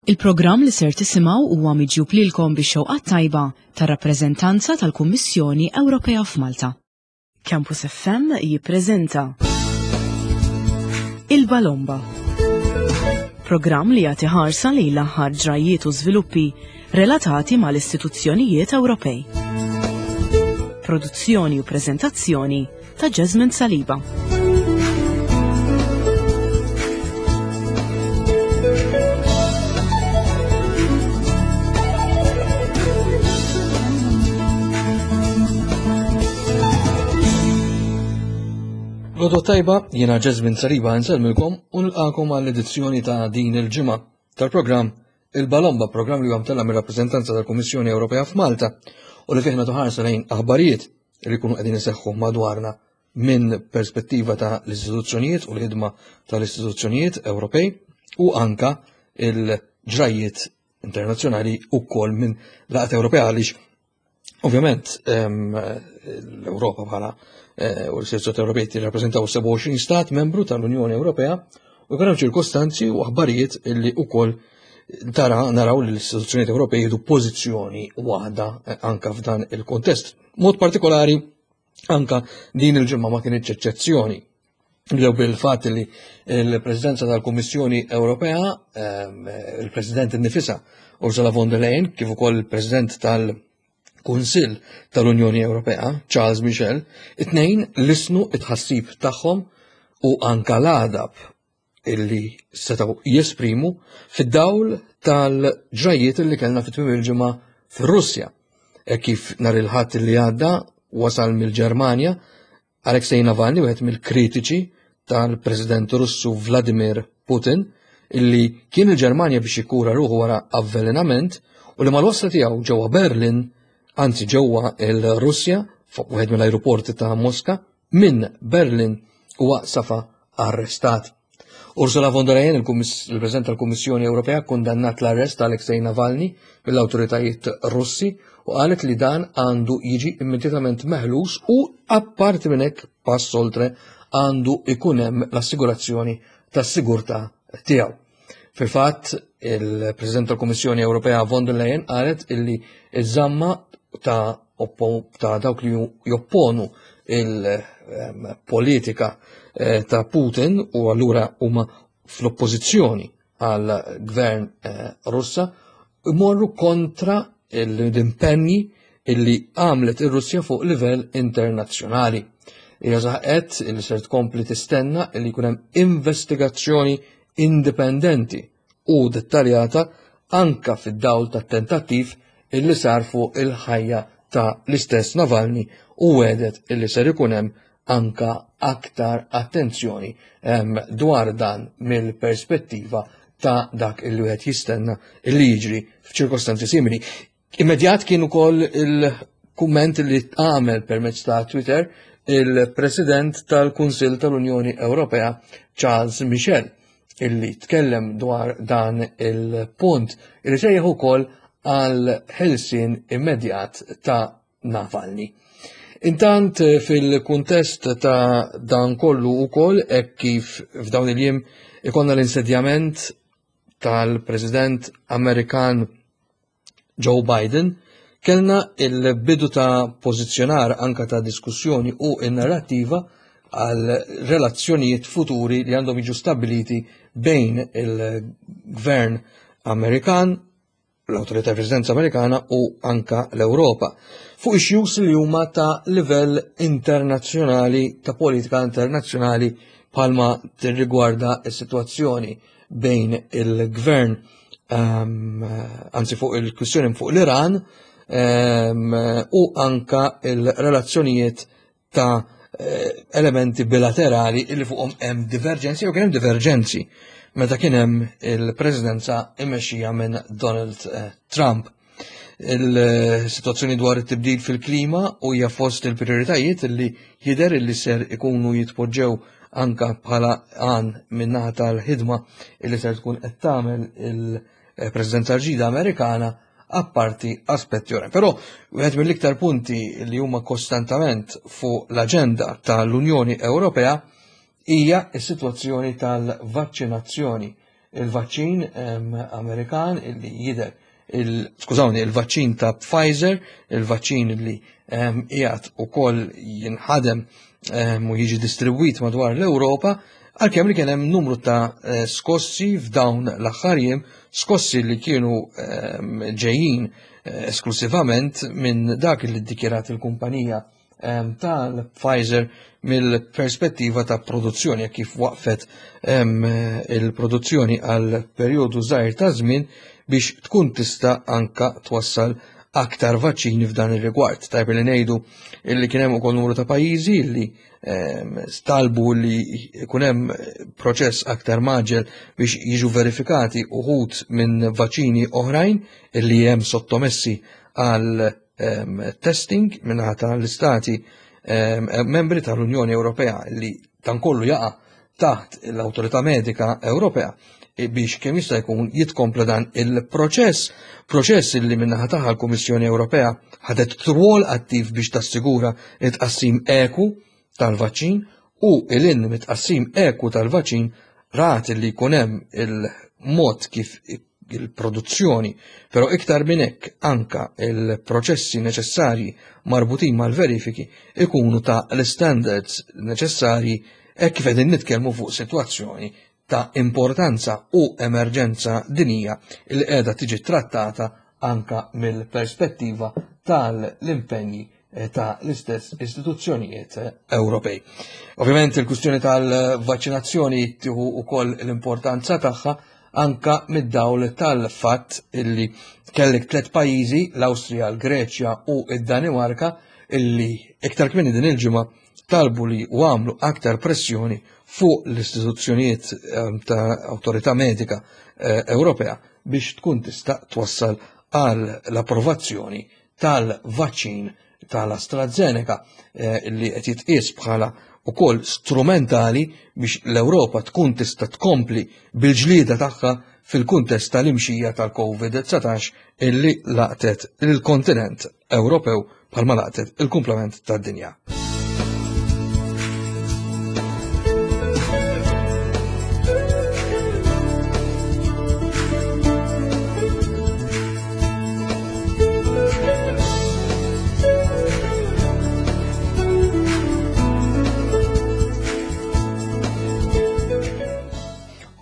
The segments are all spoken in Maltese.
Il-programm li ser tisimgħu huwa miġjub lilkom bix-xewqat tajba tar-rappreżentanza tal-Kummissjoni Ewropea f'Malta. Campus FM jippreżenta Il-Balomba. Programm li jagħti ħarsa lejn l-aħħar ġrajjiet u żviluppi relatati mal-istituzzjonijiet Ewropej. Produzzjoni u preżentazzjoni ta' Jasmine Saliba. Lodo tajba, jiena Jasmine Saliba nselmilkom u nilqakom għall-edizzjoni ta' din il-ġimgħa tal-programm Il-Balomba, programm li huwa mtella mir-rappreżentanza tal-Kummissjoni Ewropea f'Malta u li fih nagħtu ħarsa lejn aħbarijiet li jkunu qegħdin iseħħu madwarna minn perspettiva ta' l-istituzzjonijiet u l-ħidma tal-istituzzjonijiet Ewropej u anka il-ġrajiet internazzjonali u kol minn laqgħat Ewropea għaliex ovvjament l-Ewropa bħala eh, u l-istituzzjonijiet Ewropej tirrappreżentaw 27 stat membru tal-Unjoni Ewropea u jkun hemm ċirkostanzi u aħbarijiet li wkoll tara naraw li l-istituzzjonijiet Ewropej jieħdu pożizzjoni waħda eh, anka f'dan il-kontest. Mod partikolari anka din il-ġimgħa ma kienitx eċċezzjoni. Nibdew bil-fatt li l-Presidenza tal-Kummissjoni Ewropea, ehm, il-President innifisha Ursula von der Leyen, kif ukoll il-President tal-Kunsill tal-Unjoni Ewropea, Charles Michel, it-tnejn lisnu it-ħassib tagħhom u anka l-għadab illi setgħu jesprimu fid-dawl tal-ġrajiet illi kellna fit-tmiem il-ġimgħa fir-Russja. E kif nhar il-Ħadd li għadda wasal mill-Ġermanja Alexei Navalny, wieħed mill-kritiċi tal-President Russu Vladimir Putin, illi kien il-Ġermanja biex jikkura ruħu wara avvelenament u li mal-wasla tiegħu ġewwa Berlin, anzi ġewwa il-Russja, fuq wieħed mill-ajruporti ta' Moska, minn Berlin huwa safa arrestat. Ursula von der Leyen, il-President tal-Kummissjoni Ewropea, kundannat l-arrest ta' Alexei Navalny mill-awtoritajiet Russi u qalet li dan għandu jiġi immedjatament meħlus u apparti minn hekk pass oltre għandu ikun hemm l-assigurazzjoni tas-sigurtà tiegħu. Fil-fatt, il-President tal-Kummissjoni Ewropea von der Leyen qalet illi iż-żamma ta' ta' dawk li jopponu il-politika eh, ta' Putin u allura huma fl-oppożizzjoni għal gvern eh, Russa imorru kontra l-impenji illi għamlet ir-Russja fuq livell internazzjonali. Hija saħqet illi ser tkompli tistenna illi jkun hemm investigazzjoni indipendenti u dettaljata anka fid-dawl tat-tentattiv illi sar fuq il-ħajja ta' l-istess Navalny u wedet illi ser ikun hemm anka aktar attenzjoni dwar dan mill-perspettiva ta' dak illi wieħed jistenna illi jiġri f'ċirkostanzi simili. Immedjat kien ukoll il-kumment li għamel permezz ta' Twitter il-President tal-Kunsill tal-Unjoni Ewropea Charles Michel illi tkellem dwar dan il-punt illi sejjaħ ukoll għal ħelsien immedjat ta' Navalny. Intant fil-kuntest ta' dan kollu ukoll hekk kif f'dawn il-jiem ikonna l-insedjament tal-President Amerikan Joe Biden, kellna il-bidu ta' pożizzjonar anka ta' diskussjoni u in-narrattiva għal relazzjonijiet futuri li għandhom jiġu stabiliti bejn il-gvern Amerikan, l-autorità presidenza Amerikana u anka l-Ewropa fuq issues li huma ta' livell internazzjonali, ta' politika internazzjonali palma tirrigwarda s-sitwazzjoni bejn il-gvern ehm, anzi fuq il-kwistjoni fuq l-Iran ehm, u anka il-relazzjonijiet ta' eh, elementi bilaterali illi fuqhom hemm diverġenzi u kien hemm diverġenzi meta kien hemm il-presidenza immexxija minn Donald eh, Trump. Il-situazzjoni dwar it-tibdil fil-klima u hija fost il-prioritajiet li jidher li ser ikunu jitpoġġew anka bħala għan minnaħa tal-ħidma li ser tkun qed tagħmel il-Presidenza ġdida Amerikana apparti aspetti oħra. Però wieħed mill-iktar punti li huma kostantament fuq l-aġenda tal-Unjoni Ewropea hija s-sitwazzjoni tal-vaċċinazzjoni. il-vaċċin Amerikan illi jidher skużawni, il-vaċċin ta' Pfizer, il-vaċċin li qiegħed ukoll jinħadem u jiġi distribwit madwar l-Ewropa, għalkemm li kien hemm numru ta' eh, skossi f'dawn l-aħħar jiem, skossi li kienu ġejjin eh, esklusivament minn dak li ddikjarat il-kumpanija tal-Pfizer mill-perspettiva ta' produzzjoni kif waqfet il-produzzjoni għal perjodu żgħir ta' żmien biex tkun tista' anka twassal aktar vaċċini f'dan ir-rigward. Tajb li ngħidu illi kien hemm ukoll numru ta' pajjiżi li stalbu li jkun hemm proċess aktar maġel biex jiġu verifikati uħud minn vaċċini oħrajn illi hemm sottomessi għal testing minnaħa tal-istati membri tal-Unjoni Ewropea li dan kollu jaqa' taħt l-Awtorità Medika Ewropea e biex kemm jista' jkun jitkompla dan il-proċess, proċess li minnaħa tagħha l-Kummissjoni Ewropea ħadet rwol attiv biex tassigura it-tqassim eku tal-vaċċin u il-in mit-tqassim eku tal-vaċċin rat li jkun hemm il-mod kif il-produzzjoni, però iktar minn hekk anka il-proċessi neċessarji marbutin mal-verifiki ikunu ta' l-standards neċessarji hekk kif qegħdin nitkellmu fuq sitwazzjoni ta' importanza u emerġenza dinija li qiegħda tiġi trattata anka mill-perspettiva tal-impenji eh, ta' l-istess istituzzjonijiet eh, Ewropej. Ovvjament il-kwistjoni tal-vaċċinazzjoni tieħu wkoll l-importanza tagħha anka mid-dawl tal-fatt illi kellek tliet pajjiżi, l-Awstrija, l-Greċja u id-Danimarka, illi iktar kmieni din il-ġimgħa talbu li u għamlu aktar pressjoni fuq l-istituzzjonijiet ehm, ta' Awtorità Medika eh, Ewropea biex tkun tista' twassal għal l-approvazzjoni tal-vaċċin tal-AstraZeneca eh, li qed jitqies bħala ukoll strumentali biex l-Ewropa tkun tista' tkompli bil-ġlieda tagħha fil-kuntest tal-imxija tal-COVID-19 illi laqtet il-kontinent Ewropew bħalma laqtet il-kumplament tad-dinja.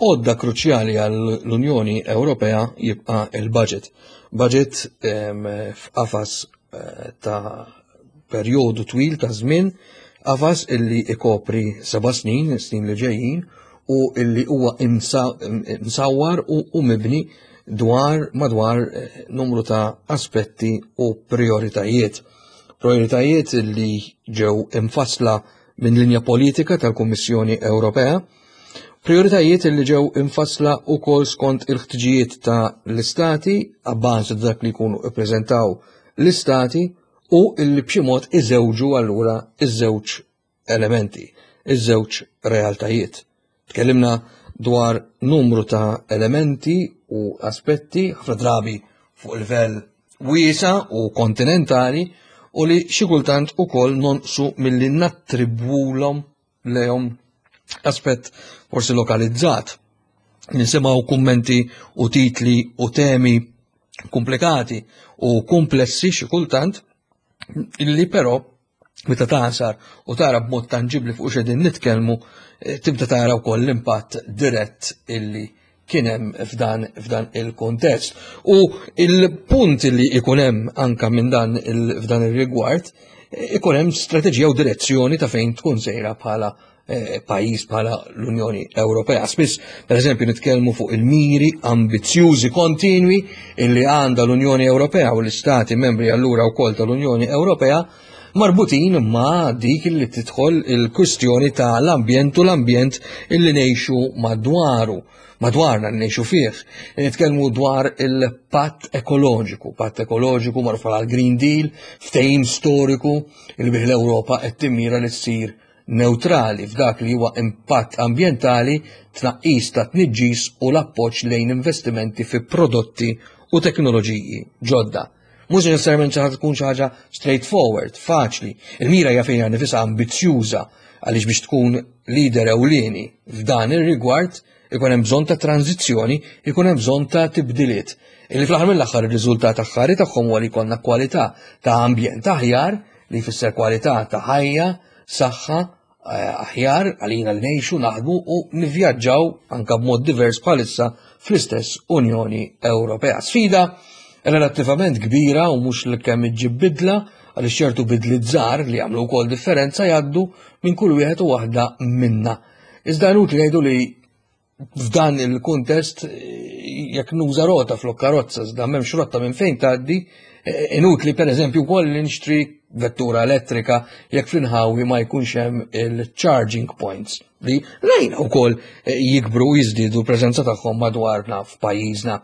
Għodda kruċjali għall-Unjoni Ewropea jibqa' il-budget. Budget f'qafas eh, ta' perjodu twil ta' żmien, qafas illi ikopri seba' snin, snin li ġejjin, u illi huwa imsawwar u mibni dwar madwar eh, numru ta' aspetti u prioritajiet. Prioritajiet li ġew imfassla minn linja politika tal-Kummissjoni Ewropea, prioritajiet li ġew imfassla wkoll skont il-ħtiġijiet ta' l-istati abbażi ta' dak li jkunu ippreżentaw l-istati u illi b'xi mod iżewġu allura iż-żewġ elementi, iż-żewġ realtajiet. Tkellimna dwar numru ta' elementi u aspetti ħafna drabi fuq livell wiesa u kontinentali u li xi kultant ukoll nonqsu milli nattribwulhom lejhom aspett forsi lokalizzat. Nisimgħu kummenti u titli u temi komplikati u komplessi xi kultant illi però meta tasar u tara b'mod tanġibli fuq xedin nitkellmu eh, tibda tara wkoll l-impatt dirett illi kien hemm f'dan f'dan il-kontest. U il-punt li ikun hemm anka minn dan f'dan ir-rigward ikun hemm strateġija u direzzjoni ta' fejn tkun sejra bħala eh, pajjiż bħala l-Unjoni Ewropea. Spiss, per eżempju, nitkellmu fuq il-miri ambizzjużi kontinwi illi għandha l-Unjoni Ewropea u l-Istati membri allura wkoll tal-Unjoni Ewropea marbutin ma' dik li tidħol il-kwistjoni ta' l-ambjent u l-ambjent illi ngħixu madwaru madwarna li ngħixu fih. Nitkellmu dwar il-patt ekoloġiku, patt ekoloġiku magħruf bħala l-Green Deal, ftehim storiku li bih l-Ewropa qed timmira li ssir newtrali f'dak li huwa impatt ambjentali, tnaqqis ta' tniġġis u l-appoġġ lejn investimenti fi prodotti u teknoloġiji ġodda. Mhux neċessarjament xi ħaġa tkun xi ħaġa straightforward, faċli. Il-mira hija fejn nifisha ambizzjuża għaliex biex tkun leader ewlieni f'dan ir-rigward. Ikun hemm bżonn ta' tranżizzjoni, ikun hemm bżonn ta' tibdiliet. Illi fl-aħħar mill-aħħar ir-riżultat aħħari tagħhom huwa li jkollna kwalità ta' ambjent aħjar li jfisser kwalità ta' ħajja, saħħa, eh, aħjar għalina li ngħixu, naħdmu u nivvjaġġaw anka b'mod divers bħalissa fl-istess Unjoni Ewropea. Sfida relattivament kbira u mhux li kemm iġġib bidla għaliex ċertu bidliet żgħar li jagħmlu wkoll differenza jgħaddu minn kull wieħed u waħda minna. Iżda inutli ngħidu li f'dan il-kuntest jekk nuża rota flok karozza iżda m'hemmx rotta minn fejn tgħaddi, inutli pereżempju wkoll li nixtri vettura elettrika jekk fl-inħawi ma jkunx hemm il-charging points li rajna wkoll jikbru u jiżdiedu l-preżenza tagħhom madwarna f'pajjiżna.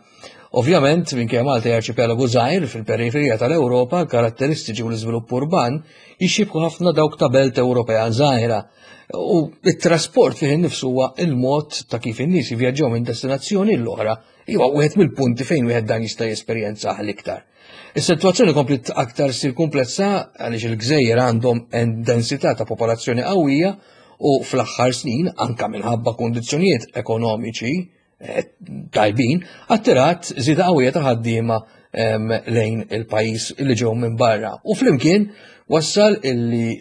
Ovvjament, minkejja Malta hija arċipelagu żgħir fil-periferija tal-Ewropa, l-karatteristiċi u l-iżvilupp urban jixxibħu ħafna dawk ta' belt Ewropea żgħira. U it-trasport fih innifsu huwa il-mod ta' kif in-nies jivvjaġġaw minn destinazzjoni l-oħra huwa wieħed mill-punti fejn wieħed dan jista' jesperjenzah l-iktar. Is-sitwazzjoni kompliet aktar ssir komplessa għaliex il-gżejjer għandhom densità ta' popolazzjoni qawwija u fl-aħħar snin anka minħabba kundizzjonijiet ekonomiċi eh, tajbin, attirat żieda qawwija ta' ħaddiema lejn il-pajjiż li ġew minn barra. U flimkien wassal illi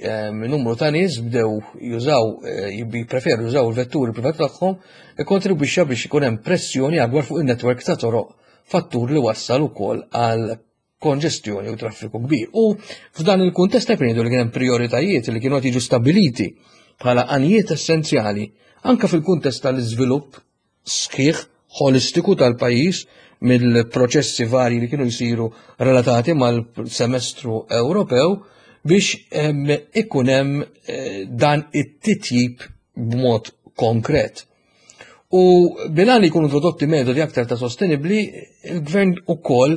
numru ta' nies bdew jużaw, eh, jippreferu jużaw il-vetturi privati tagħhom, ikkontribwixxa biex ikun hemm pressjoni akbar fuq in-netwerk ta' toroq, fattur li wassal ukoll għal konġestjoni u traffiku kbir. U f'dan il-kuntest qed ngħidu li kien hemm prioritajiet li kienu qed jiġu stabiliti bħala għanijiet essenzjali anke fil-kuntest tal-iżvilupp sħiħ ħolistiku tal-pajjiż mill-proċessi varji li kienu jsiru relatati mal-semestru Ewropew biex ikun hemm eh, dan it-titjib b'mod konkret. U bilan li jkunu introdotti metodi aktar ta' sostenibli, il-gvern ukoll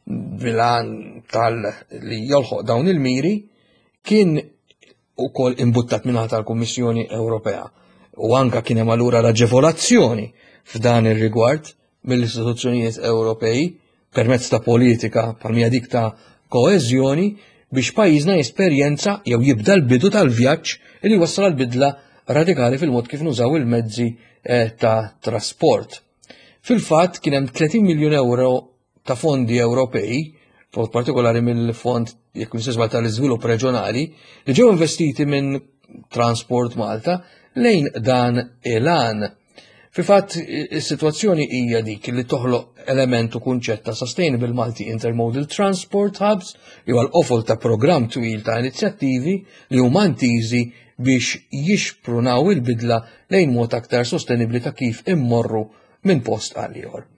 bilan tal li jolħoq dawn il-miri kien ukoll imbuttat minn tal-Kummissjoni Ewropea. U anka kien hemm allura l-aġevolazzjoni f'dan ir-rigward mill-istituzzjonijiet Ewropej permezz ta' politika bħal dik ta' koeżjoni biex pajjiżna jesperjenza jew jibda l-bidu tal-vjaġġ li wassal għal bidla radikali fil-mod kif nużaw il-mezzi eh, ta' trasport. Fil-fatt kien hemm 30 miljun euro ta' fondi Ewropej, b'mod partikolari mill-Fond jekk nisma tal-Iżvilupp Reġjonali, li ġew investiti minn Transport Malta lejn dan il-għan. Fil-fatt, is-sitwazzjoni hija dik li toħloq element u kunċett ta' Sustainable Multi Intermodal Transport Hubs li huwa l-qofol ta' programm twil ta' inizjattivi li huma intiżi biex jixprunaw il-bidla lejn mod aktar sostenibbli ta' kif immorru minn post għal ieħor.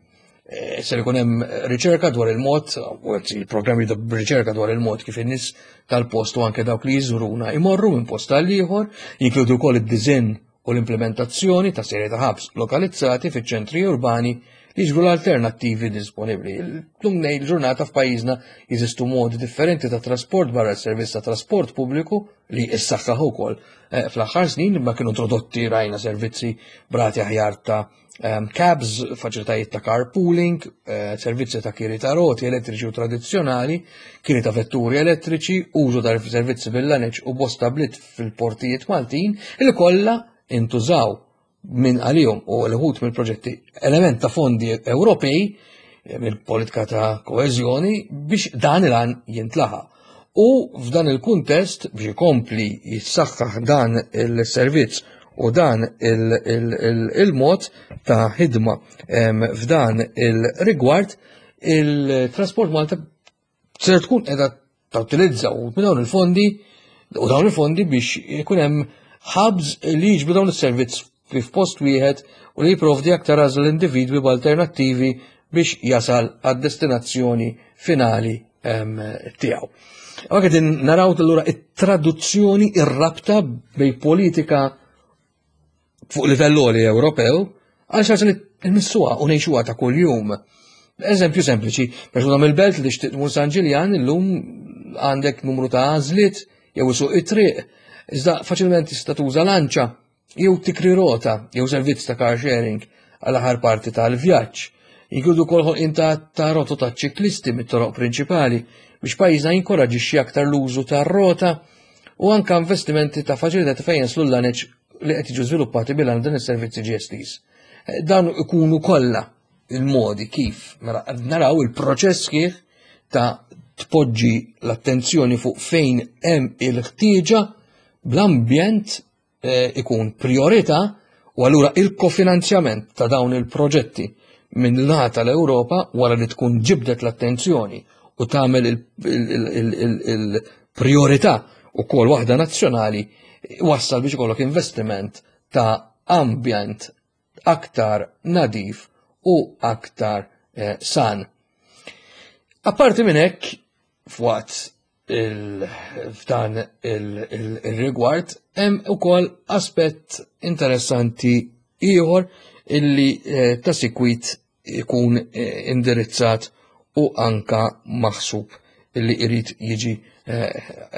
Eh, ser ikun hemm riċerka dwar il-mod, u il-programmi ta' riċerka dwar il-mod kif in-nies tal-post u anke dawk li jiżuruna imorru minn post għal ieħor, jinkludu wkoll id-diżinn u l-implementazzjoni ta' serje ta' ħabs lokalizzati fiċ-ċentri urbani li jiġbru l-alternattivi disponibbli. Llum ngħid ġurnata f'pajjiżna jeżistu modi differenti ta' trasport barra s-servizz ta' trasport pubbliku li issaħħaħ ukoll eh, fl-aħħar snin ma kienu introdotti rajna servizzi brati aħjar ta' Ehm, cabs, faċilitajiet ta' carpooling, eh, servizzi ta' kiri ta' roti elettriċi u tradizzjonali, kiri ta' vetturi elettriċi, użu ta' servizzi bil-laneċ u bosta blit fil-portijiet Maltin, li kollha intużaw minn għalihom u l-ħut mill-proġetti element ta' fondi Ewropej eh, mill-politika ta' koeżjoni biex dan il-għan jintlaħa. U f'dan il-kuntest biex ikompli jissaħħaħ dan il-servizz u dan il-mod ta' ħidma f'dan il-rigward il-Trasport Malta ser tkun qiegħda tutilizza u minn dawn il-fondi u dawn il-fondi biex ikun hemm hubs li jiġbdu dawn is-servizz f'post wieħed u li jipprovdi aktar għażla l-individwi b'alternattivi biex jasal għad-destinazzjoni finali tiegħu. Għak qegħdin naraw allura it-traduzzjoni ir-rabta bej politika fuq livell għoli Ewropew għal xi li nmissuha u ngħixuha ta' kuljum. Eżempju sempliċi, persuna mill-belt li tixtieq tmur San Ġiljan illum għandek numru ta' għażliet jew isuq it-triq, iżda faċilment tista' tuża lanċa jew tikri rota jew servizz ta' car sharing għal aħħar parti tal-vjaġġ. Jinkludu wkoll ħolqien ta', ta rotot ta' ċiklisti mit-toroq prinċipali biex pajjiżna jinkoraġixxi aktar l-użu tar-rota u anka investimenti ta' faċilità fejn jaslu l-laneċ li qed jiġu żviluppati bil dan is-servizzi GSTs. Dan ikunu kollha il-modi kif mela naraw il-proċess kif ta' tpoġġi l-attenzjoni fuq fejn hemm il-ħtieġa bl-ambjent eh, ikun priorità u allura il-kofinanzjament ta' dawn il-proġetti minn naħa tal-Ewropa wara li tkun ġibdet l-attenzjoni u tagħmel il-priorità u kol waħda nazzjonali wassal biex ikollok investiment ta' ambjent aktar nadif u aktar eh, san. Apparti minn hekk, f'waqt f'dan il-rigward, hemm ukoll aspett interessanti ieħor illi eh, ta' sikwit ikun eh, indirizzat u anka maħsub illi irid jiġi eh,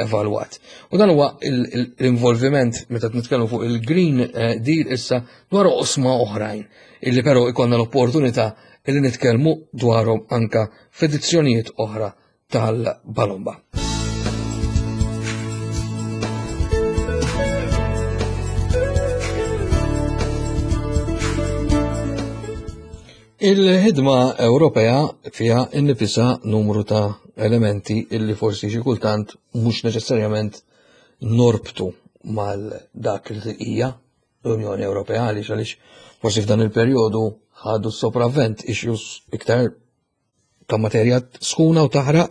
evalwat. U dan huwa l-involviment meta nitkellmu fuq il-Green eh, Deal issa dwar oqsma oħrajn illi però ikonna l-opportunità illi nitkellmu dwarhom anka f'edizzjonijiet oħra tal-Balomba. Il-ħidma Ewropea fiha innifisha numru ta' elementi illi forsi xi kultant mhux neċessarjament norbtu mal dak li hija l-Unjoni Ewropea għaliex għaliex forsi f'dan il-perjodu ħadu s-sopravvent issues iktar ta' materja sħuna u taħraq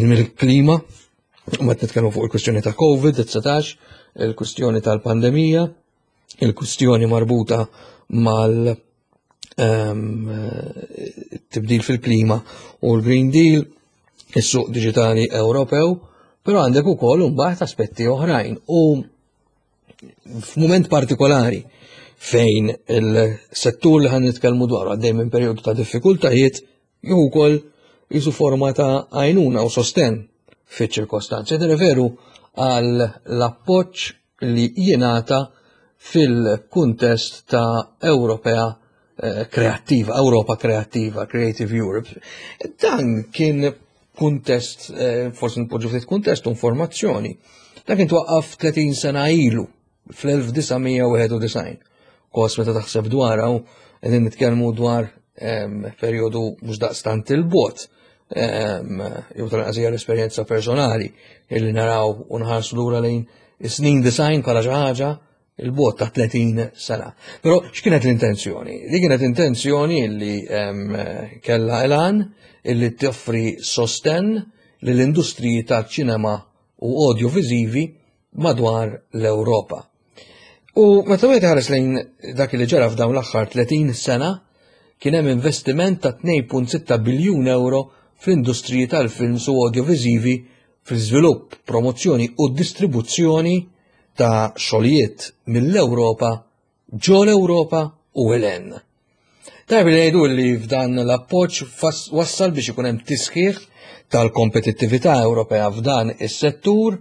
mill-klima, ma nitkellmu fuq il-kwistjoni ta' COVID-19, il-kwistjoni tal-pandemija, il-kwistjoni marbuta mal ehm, tibdil fil-klima u l-Green Deal, is-suq digitali Ewropew, però għandek ukoll imbagħad aspetti oħrajn u f'mument partikolari fejn il-settur li ħan nitkellmu dwaru għaddej minn perjodu ta' diffikultajiet jew ukoll jisu forma ta' għajnuna u sosten fiċ-ċirkostanzi. Nirreferu għal l-appoġġ li jingħata fil-kuntest ta' Ewropea eh, kreattiva, Ewropa kreattiva, Creative Europe. Dan kien kuntest, eh, forsi npoġġu ftit kuntest u informazzjoni. Dan kien twaqqaf 30 sena ilu fl-1991. Kos meta taħseb dwar u qegħdin nitkellmu dwar ehm, perjodu mhux daqstant il-bot. Ehm, jew tal-anqas hija l-esperjenza personali illi naraw u nħarsu lura lejn is-snin design bħala xi ħaġa il-bot ta' 30 sena. Però x'kienet l-intenzjoni? Li kienet intenzjoni li kellha elan illi toffri sosten lill-industriji tal-ċinema u audiovisivi madwar l-Ewropa. U meta wieħed ħares lejn dak li ġara f'dawn l-aħħar 30 sena, kien hemm investiment ta' 2.6 biljun euro fl-industriji tal-films u audiovisivi fl-iżvilupp, promozzjoni u distribuzzjoni ta' xogħlijiet mill-Ewropa ġo l-Ewropa u l Tajb li ngħidu li f'dan l-appoġġ wassal biex ikun hemm tisħiħ tal-kompetittività Ewropea f'dan is-settur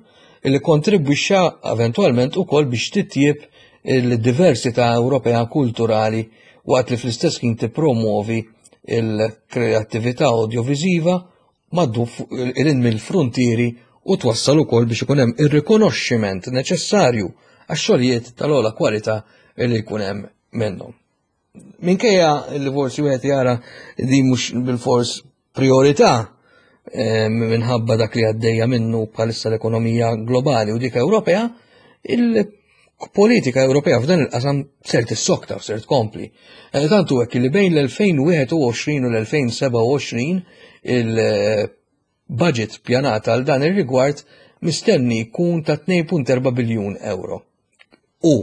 li kontribwixxa eventwalment ukoll biex titjieb il-diversità Ewropea kulturali waqt li fl-istess ħin tippromuovi il-kreattività audiovisiva maddu il mill-fruntieri u twassal ukoll biex ikun hemm ir-rikonoxximent neċessarju għax-xogħlijiet tal-ogħla kwalità li jkun hemm minnhom. Minkejja li forsi wieħed jara di mhux bil-fors priorità eh, minħabba dak li għaddejja minnu bħalissa l-ekonomija globali u dik Ewropea, il-politika Ewropea f'dan il-qasam ser tissokta u ser tkompli. Eh, tantu hekk li bejn l-2021 u l-2027 il-budget pjanata għal dan ir-rigward mistenni jkun ta' 2.4 biljun euro. U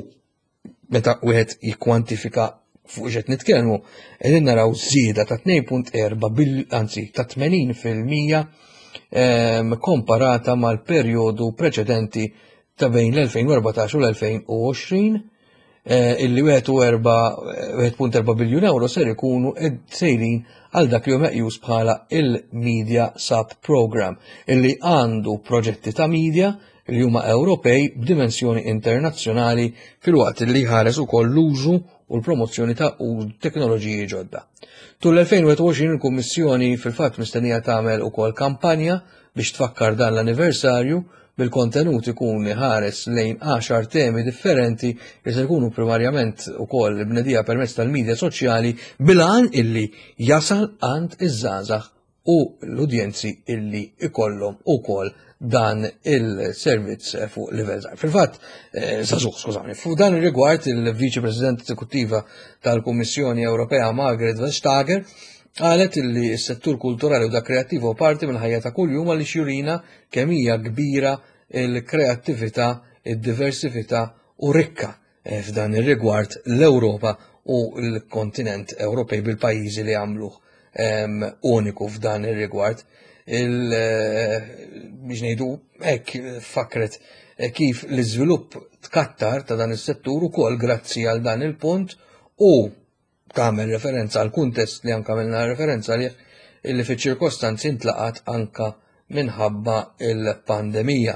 meta wieħed jikkwantifika fuq x'qed nitkellmu, qegħdin naraw żieda ta' 2.4 bil anzi ta' 80% ehm, komparata mal-perjodu preċedenti ta' bejn l-2014 u l-2020 eh, illi 1.4 biljun euro ser ikunu sejrin għal dak li hu meqjus bħala il-Media Sub Program illi għandu proġetti ta' media li huma Ewropej b'dimensjoni internazzjonali filwaqt li jħares ukoll l-użu u l-promozzjoni ta' teknoloġiji ġodda. Tul l-2021 il-Kummissjoni fil-fatt mistennija tagħmel ukoll kampanja biex tfakkar dan l-anniversarju. bil-kontenut ikun iħares lejn għaxar temi differenti li se jkunu primarjament ukoll bnedija permezz tal-midja soċjali bil-għan illi jasal għand iż-żgħażagħ u l-udjenzi illi ikollhom ukoll dan il-servizz fuq livell żgħir. Fil-fatt, eh, żagħżugħ, skużawni, fuq dan ir-rigward il-Viċi President Eżekuttiva tal-Kummissjoni Ewropea Margaret Vestager qalet illi s-settur kulturali u dak kreattiv huwa parti mill-ħajja ta' kuljum għaliex jurina kemm hija kbira il-kreattività, id-diversifità u rikka eh, f'dan ir-rigward l-Ewropa u l-kontinent Ewropej bil-pajjiżi li għamluh ehm, uniku f'dan ir-rigward. Il, eh, biex ngħidu hekk fakret eh, kif l-iżvilupp tkattar ta' dan is-settur ukoll grazzi għal dan il-punt u tagħmel referenza għal kuntest li anka għamilna referenza għalih illi fiċ-ċirkostanzi ntlaqat anka minħabba il-pandemija.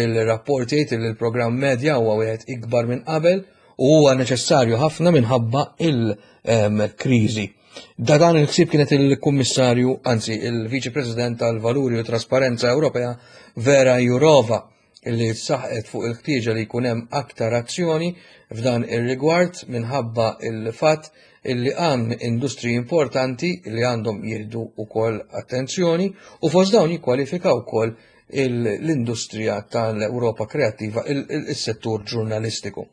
Il-rapport jgħid li l-programm medja huwa wieħed ikbar minn qabel u huwa neċessarju ħafna minħabba il-kriżi. Da dan il-ħsieb kienet il-Kummissarju, anzi il-Viċi President tal-Valuri u Trasparenza Ewropea Vera Jurova li saħqet fuq il-ħtieġa li jkun hemm aktar azzjoni f'dan ir-rigward minħabba il-fatt illi għan industriji importanti li għandhom jieħdu wkoll attenzjoni u fost dawn jikkwalifika wkoll l-industrija tal-Ewropa kreattiva il-settur ġurnalistiku.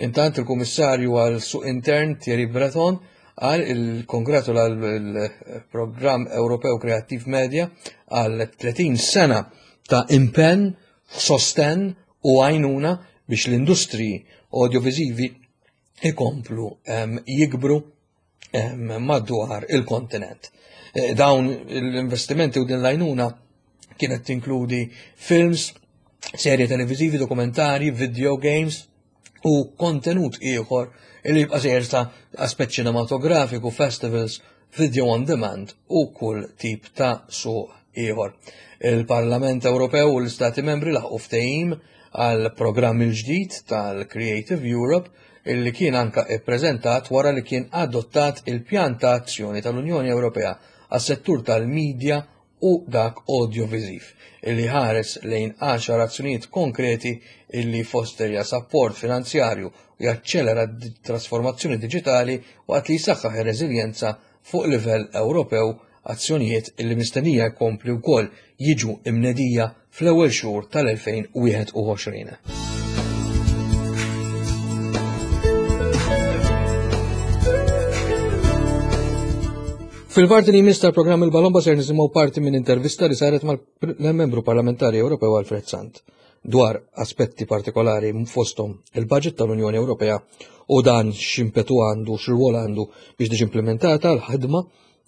Intant il-Kummissarju għal Suq Intern Thierry Breton qal il-kongratula l-Programm Ewropew Kreattiv Media għal 30 sena ta' impenn, sostenn u għajnuna biex l-industriji audiovisivi ikomplu jikbru madwar il-kontinent. Eh, dawn l-investimenti u din l-għajnuna kienet tinkludi films, serje televizivi, dokumentari, video games u kontenut ieħor li jibqa' sejjer ta' aspett ċinematografiku, festivals, video on demand u kull tip ta' suq ieħor. Il-Parlament Ewropew u l-Istati Membri laħqu ftehim għal programm il-ġdid tal-Creative Europe illi kien anka ippreżentat wara li kien adottat il-pjan ta' azzjoni tal-Unjoni Ewropea għas-settur tal-medja u dak awdjoviżiv, illi jħares lejn għaxar azzjonijiet konkreti illi jfosterja sapport finanzjarju u jaċċelera t-trasformazzjoni diġitali waqt li jsaħħaħ ir-reżiljenza fuq livell Ewropew, azzjonijiet illi mistennija jkompli wkoll jiġu imnedija fl-ewwel xhur tal-2021. Fil-parti li jmiss tal-programm il-Balomba ser nisimgħu parti minn intervista li saret mal-membru parlamentari Ewropew Alfred Sant dwar aspetti partikolari fosthom il-budget tal-Unjoni Ewropea u dan x'impetu għandu, x'rwol għandu biex tiġi implementata l-ħidma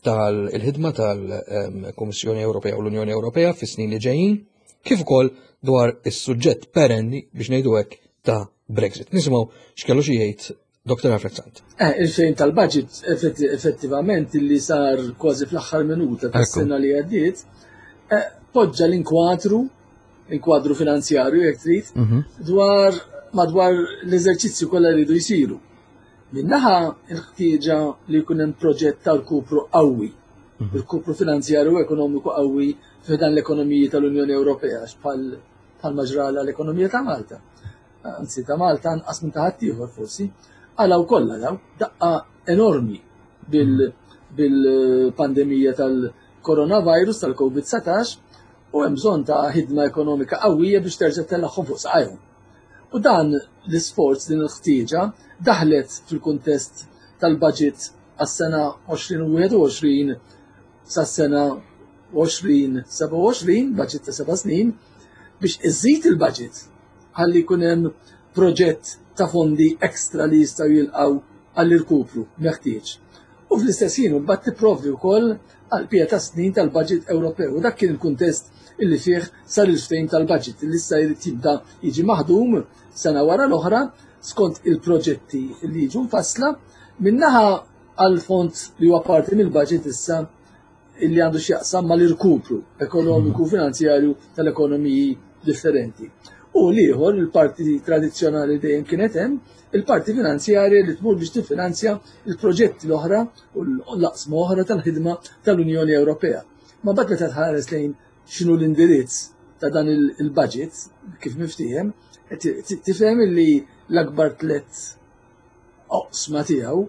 tal-ħidma tal-Kummissjoni Ewropea u l-Unjoni Ewropea fis-snin li ġejjin, kif ukoll dwar is-suġġett perenni biex ngħidu hekk ta' Brexit. Nisimgħu x'kellu xi jgħid Dr. Alfred Sant. Eh, il-fejn tal-budget effettivament li sar kważi fl-aħħar minuta tas-sena li għaddiet, eh, poġġa l-inkwatru, l-inkwadru finanzjarju jekk trid, mhm. dwar madwar l-eżerċizzju kollha li jridu jsiru. Minn naħa il-ħtieġa li jkun hemm proġett ta' rkupru qawwi, mhm. rkupru finanzjarju u ekonomiku qawwi f'dan l-ekonomiji tal-Unjoni Ewropea bħal bħal ġrala l-ekonomija ta' Malta. Anzi ta' Malta anqas minn ta' ħaddieħor forsi. Għalaw kollha daw daqqa enormi bil-pandemija tal-coronavirus tal-COVID-19 u hemm bżonn ta' ħidma ekonomika qawwija biex terġa' tellagħhom fuq saqajhom. U dan l-isforz, din il-ħtieġa, daħlet fil-kuntest tal-budget għas-sena 2021 sas-sena 2027, budget ta' seba' snin, biex iżid il-budget ħalli jkun hemm proġett ta' fondi ekstra li jistgħu jilqgħu għall-irkupru meħtieġ. U fl-istess ħin imbagħad tipprovdi wkoll għall-bqija tas-snin tal-budget Ewropew. U dak kien il-kuntest illi fih sar il-ftehim tal-budget illi issa jrid jibda jiġi maħdum sena wara l-oħra skont il-proġetti li jiġu mfassla min-naħa għall-fond li huwa parti mill-budget issa illi għandu x'jaqsam mal-irkupru ekonomiku u finanzjarju tal-ekonomiji differenti. U l-ieħor, il-parti tradizzjonali dejjem kienet hemm, il-parti finanzjarja li tmur biex tiffinanzja il-proġetti l-oħra u l-aqsma oħra tal-ħidma tal-Unjoni Ewropea. Ma mbagħad meta tħares lejn x'inhu l-indirizz ta' dan il-budget kif miftiehem, tifhem li l-akbar tlett oqsma tiegħu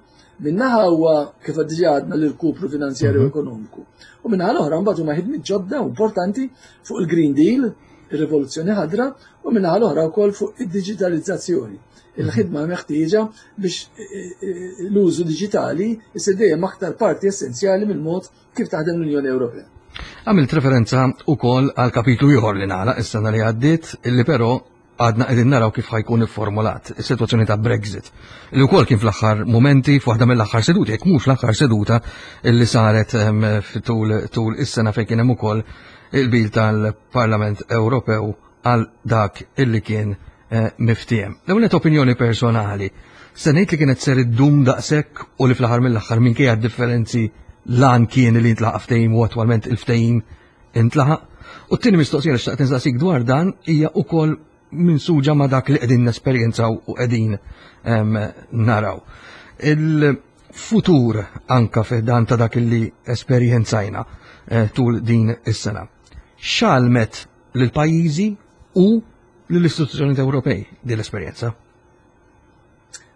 minnaħa huwa kif diġà għadna l-irkupru finanzjarju mhm. ekonomiku. U minnaħa l-oħra mbagħad huma ħidmiet ġodda importanti fuq il-Green Deal, ir-rivoluzzjoni ħadra, u minnaħa l-oħra wkoll fuq id-diġitalizzazzjoni. Il-ħidma meħtieġa biex eh, eh, l-użu diġitali jsir dejjem aktar parti essenzjali mill-mod kif taħdem l-Unjoni Ewropea. Għamilt referenza wkoll għal kapitlu ieħor li nagħlaq is-sena li għaddiet, illi però għadna qegħdin naraw kif ħajkun ifformulat is-sitwazzjoni ta' Brexit. Li wkoll kien fl-aħħar momenti f'waħda mill-aħħar seduti, jekk mhux l-aħħar seduta li saret ehm, tul tul is-sena fejn kien hemm ukoll il-bil tal-Parlament Ewropew għal dak illi kien eh, miftiem. L-ewwel opinjoni personali. Se ngħid li kienet ser iddum daqshekk u li fl-aħħar mill-aħħar minkejja d-differenzi lan kien li jintlaqa' ftehim u attwalment il-ftehim intlaħaq. U t-tieni mistoqsija li xtaqt insaqsik dwar dan hija wkoll minsuġa ma' dak li qegħdin nesperjenzaw u qegħdin naraw. Il-futur anka dan ta' dak li esperjenzajna eh, tul din is-sena. X'għalmet lil pajjiżi u lill-istituzzjonijiet Ewropej din l-esperjenza?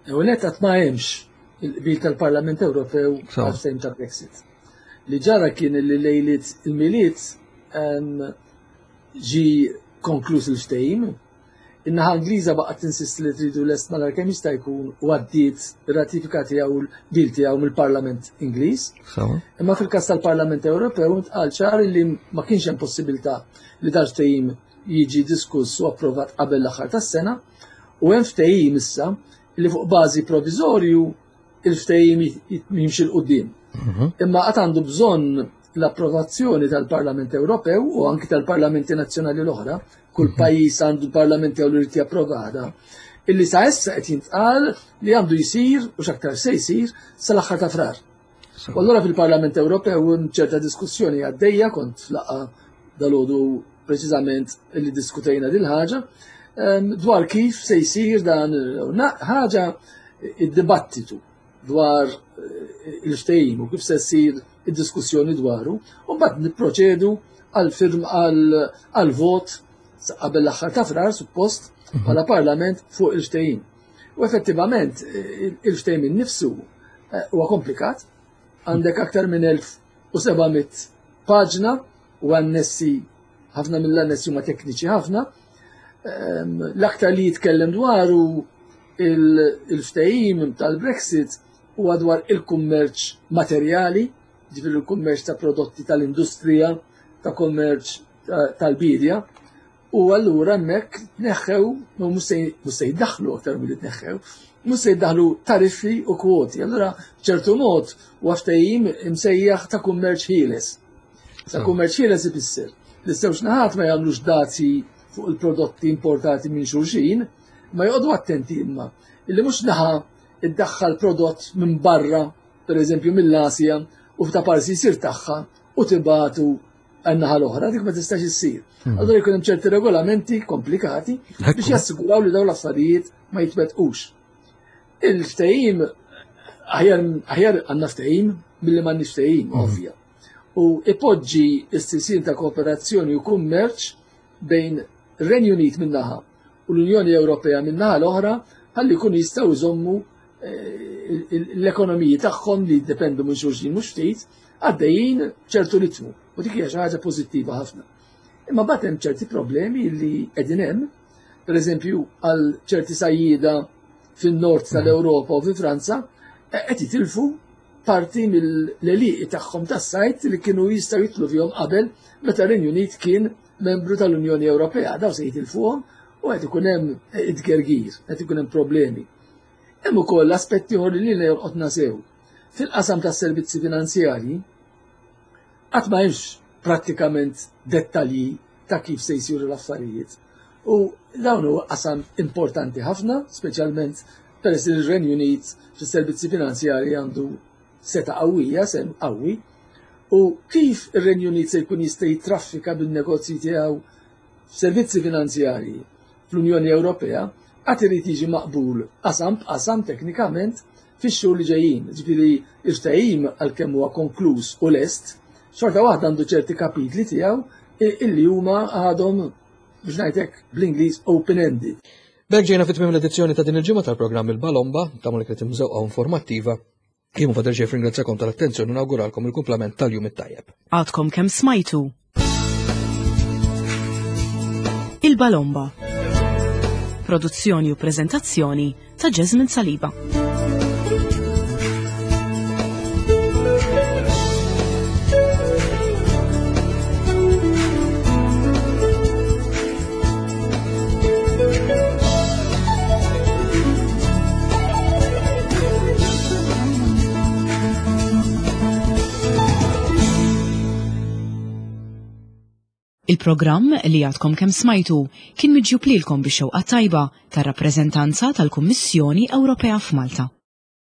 Ewwel qatt ma hemmx il-qbil tal-Parlament Ewropew għal ta' Brexit. Li ġara kien li lejliet il-Milied ġi konkluż il-ftehim. In-naħa Ingliża baqgħet tinsisti li tridu lest malar kemm jista' jkun u għaddiet ir-ratifika tiegħu l-qbil tiegħu mill-Parlament Ingliż. Imma fil-każ tal-Parlament Ewropew intqal ċar li ma kienx hemm possibilità li dal-ftehim jiġi diskuss u approvat qabel l-aħħar tas-sena u hemm ftehim issa li fuq bażi proviżorju il-ftehim jimxi 'l quddiem. Mhm. Imma qatt għandu bżonn l-approvazzjoni tal-Parlament Ewropew u anki tal-Parlamenti Nazzjonali l-oħra, kull mhm. pajjiż għandu l-Parlament tiegħu li jrid japprovada, illi sa issa qed jintqal li għandu jsir u x'aktar se jsir sal-aħħar ta' frar. U allura fil-Parlament Ewropew hemm ċerta diskussjoni għaddejja kont flaqa dalodu preċiżament li diskutejna dil ħaġa ehm, dwar kif se jsir dan ħaġa id-dibattitu dwar eh, il-ftehim u kif se ssir id-diskussjoni dwaru, u mbagħad nipproċedu għal firm għal vot qabel l-aħħar ta' frar suppost mhm. bħala parlament fuq il-ftehim. U effettivament eh, il-ftehim innifsu eh, huwa komplikat, għandek aktar minn 1700 paġna u annessi ħafna mill-annessi huma tekniċi ħafna. Ehm, l-aktar li jitkellem dwaru il-ftehim tal-Brexit huwa dwar il-kummerċ materjali, ġifieri il-kummerċ ta' prodotti tal-industrija, ta' kummerċ tal-bidja, u allura hemmhekk tneħħew, mhux se jiddaħħlu aktar milli tneħħew, mhux se jiddaħħlu tariffi u kwoti. Allura ċertu mod huwa ftehim imsejjaħ ta' kummerċ ħieles. Ta' kummerċ ħieles ifisser li żewġ naħat ma jagħmlux dazji fuq il-prodotti importati minn xulxin, ma joqogħdu attenti imma illi mhux naħa iddaħħal prodott minn barra, per eżempju mill-Asja, u f'ta' parsi jsir tagħha u tibatu għan-naħa l-oħra, dik ma tistax issir. Hmm. Allura jkun hemm ċerti regolamenti komplikati biex jassiguraw li dawn l-affarijiet ma jitwettqux. Il-ftehim aħjar għandna ftehim milli m'għandniex ftehim, hmm. ovvja. U ipoġġi s-sisien ta' kooperazzjoni u kummerċ bejn Renju Unit min-naħa u l-Unjoni Ewropea min-naħa l-oħra ħalli jkunu jistgħu jżommu eh, l-ekonomiji tagħhom li jiddependu minn xulxin mhux ftit għaddejjin ċertu ritmu u dik hija xi ħaġa pożittiva ħafna. Imma mbagħad hemm ċerti problemi li qegħdin hemm, pereżempju għal ċerti sajjieda fin-nord tal-Ewropa u fi Franza eh, qed jitilfu parti mill-għelieqi tagħhom tas-sajt li kienu jistgħu jidħlu fihom qabel meta r-Renju Unit kien membru tal-Unjoni Ewropea. Daw se jitilfuhom u qed ikun hemm it-tgergir, qed ikun hemm problemi. Hemm ukoll aspetti oħra li lilna jolqotna sew. Fil-qasam tas-servizzi finanzjarji qatt ma hemmx prattikament dettalji ta' kif se jsiru l-affarijiet. U dawn huwa qasam importanti ħafna, speċjalment peress li r-Renju Unit fis-servizzi finanzjarji għandu seta' qawwija, sehem qawwi, u kif ir-Renju Unit se jkun jista' jittraffika bin-negozji tiegħu f'servizzi finanzjarji fl-Unjoni Ewropea għad irid jiġi maqbul qasam b'qasam teknikament fix-xhur li ġejjin. Ġifieri il-ftehim għalkemm huwa konkluż u lest, xorta waħda għandu ċerti kapitli tiegħu illi huma għadhom biex ngħidlek bl-Ingliż open-ended. B'hekk ġejna fi tmiem l-edizzjoni ta' din il-ġimgħa tal-programm Il-Balomba, tagħmlu li kienet imżewqa informattiva. Jien Fader Ġef ringrazzjakom tal-attenzjoni u nawguralkom il-kumplament tal-jum it-tajjeb. Għadkom kemm smajtu. Il-Balomba. Produzzjoni u preżentazzjoni ta' Jasmine Saliba. Il-programm li għadkom kemm smajtu kien miġjub lilkom bix-xewqa tajba tar-rappreżentanza tal-Kummissjoni Ewropea f'Malta.